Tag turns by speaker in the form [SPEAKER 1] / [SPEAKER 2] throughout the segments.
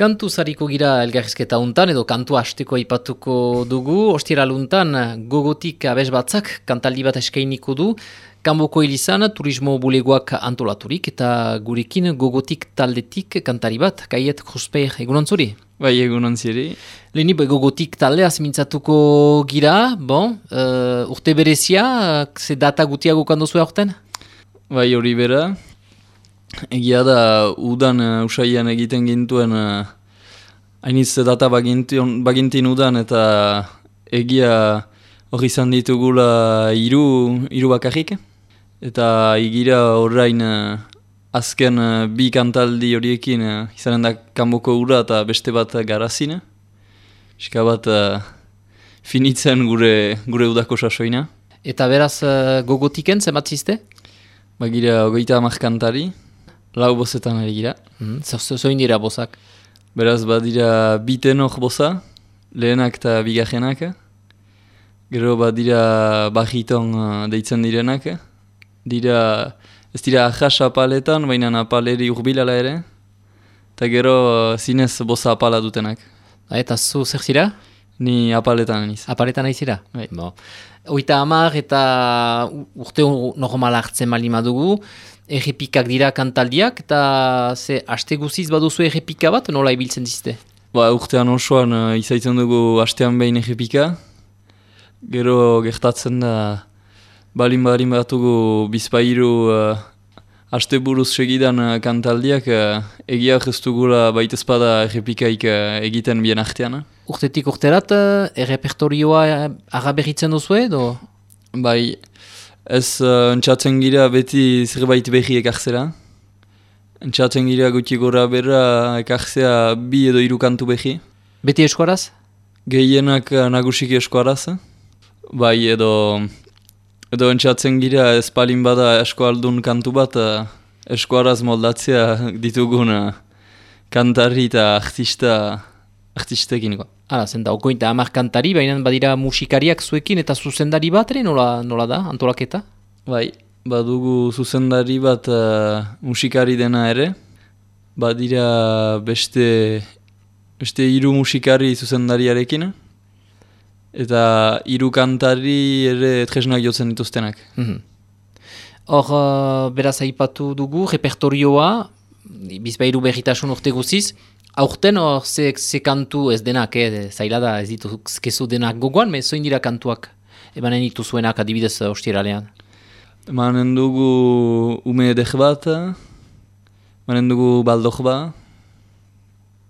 [SPEAKER 1] Kantu zariko gira elgarrizketa untan, edo kantu hasteko aipatuko dugu. Ostiraluntan gogotik abes batzak kantaldi bat eskainiko du. Kanboko Elizan turismo bulegoak antolaturik eta gurekin gogotik taldetik kantari bat, Kaiet Kruspeir, egunon zuri?
[SPEAKER 2] Bai, egunon ziri.
[SPEAKER 1] Leheni gogotik taldea mintzatuko gira, urte berezia, ze data gutiago kandozu aurten?
[SPEAKER 2] Bai, hori bera. Egia da, udan usaian egiten gintuen hainiz data bagintin udan eta egia hori izan ditugula hiru bakarrik. Eta igira horrein azken bi kantaldi horiekin izanen da kanboko ura eta beste bat garazina. Eska bat finitzen gure udako sasoina.
[SPEAKER 1] Eta beraz gogotiken zenbat ziste?
[SPEAKER 2] Bagira 30 kantari. Lau bozetan ari gira.
[SPEAKER 1] Zoin dira bozak?
[SPEAKER 2] Beraz, badira bi tenor boza, lehenak eta bigarrenak. Gero badira bajiton deitzen direnak. Ez dira ahas apaletan, baina apaleri urbilala ere. Eta gero zinez boza apala dutenak.
[SPEAKER 1] Eta zu zer zira?
[SPEAKER 2] Ni apaletan niz.
[SPEAKER 1] Apaletan aizira? Oita hamar eta urte normal hartzen malima dugu. Errepikak dira kantaldiak, eta ze aste guziz baduzu errepika bat, nola ibiltzen dizte?
[SPEAKER 2] Urtean osoan izaitzen dugu astean behin errepika. Gero gertatzen da, balin batugu bizpairu aste buruz segidan kantaldiak, egiak ez dugula baitezpada errepikaik egiten bien artean.
[SPEAKER 1] Urtetik urterat, errepertorioa agaberritzen duzu edo?
[SPEAKER 2] Bai, ez entzatzen gira beti zerbait behi ekartzera. Entzatzen gira guti gora berra ekartzea 2 edo 3 kantu behi.
[SPEAKER 1] Beti eskuaraz?
[SPEAKER 2] Gehienak nagusiki eskuaraz. Bai, edo entzatzen gira ez palin bada eskualdun kantu bat eskuaraz moldatzea ditugun kantari eta artistekin.
[SPEAKER 1] Hala, zenta, okointa 10 kantari, baina badira musikariak zuekin eta zuzendari bat ere, nola da, antolaketa?
[SPEAKER 2] Bai, badugu zuzendari bat musikari dena ere. Badira beste 3 musikari zuzendariarekin. Eta 3 kantari ere tresnak jotzen dituztenak.
[SPEAKER 1] Hor, beraz aipatu dugu, repertorioa, bizpairu berritasun urte guziz, aurten hor ze kantu ez denak, zaila da ez dituzkezu denak gogoan, zoin dira kantuak emanen dituzuenak adibidez ostiralean?
[SPEAKER 2] Emanen dugu ume edek bat, emanen dugu baldok bat,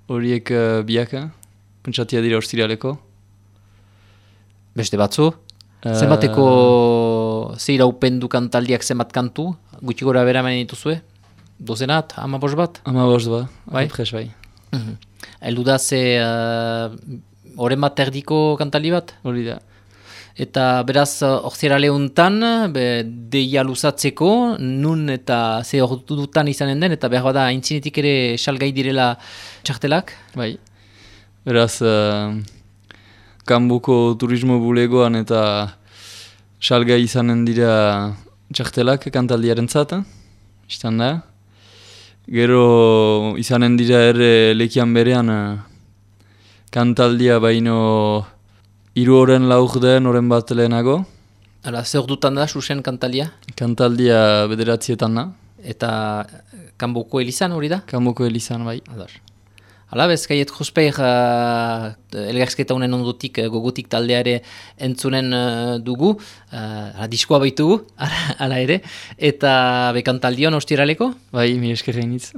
[SPEAKER 2] horiek biaka, pentsatia dira ostiraleko.
[SPEAKER 1] Beste batzu? Zenbateko zeira upendu kantaldiak zenbat kantu, gutxi gora bera emanen dituzue? Dozenat, 15 bat?
[SPEAKER 2] 15 bat,
[SPEAKER 1] bai?
[SPEAKER 2] Apres bai.
[SPEAKER 1] Eldu da ze oren bat erdiko kantaldi bat?
[SPEAKER 2] Hori da.
[SPEAKER 1] Eta beraz orzierale untan, deia luzatzeko, nun eta ze ordutan izanen den, eta behar bada aintzinetik ere salgai direla txartelak?
[SPEAKER 2] Bai. Beraz, kanboko turismo bulegoan eta salgai izanen dira txartelak kantaldiaren zata, istan da. Gero izanen dira ere lekian berean kantaldia baino 3 oren lauk den oren bat lehenago.
[SPEAKER 1] Hala, ze ordutan da, susen kantaldia?
[SPEAKER 2] Kantaldia 9etan da.
[SPEAKER 1] Eta Kanboko Elizan hori da?
[SPEAKER 2] Kanboko Elizan, bai.
[SPEAKER 1] Hala, bez, Kaiet Kruspeir elgarrizketa honen ondotik gogotik taldeare entzunen dugu, diskoa baitugu, hala ere, eta bekantaldion ostiraleko?
[SPEAKER 2] Bai, mi eskerrein hitz.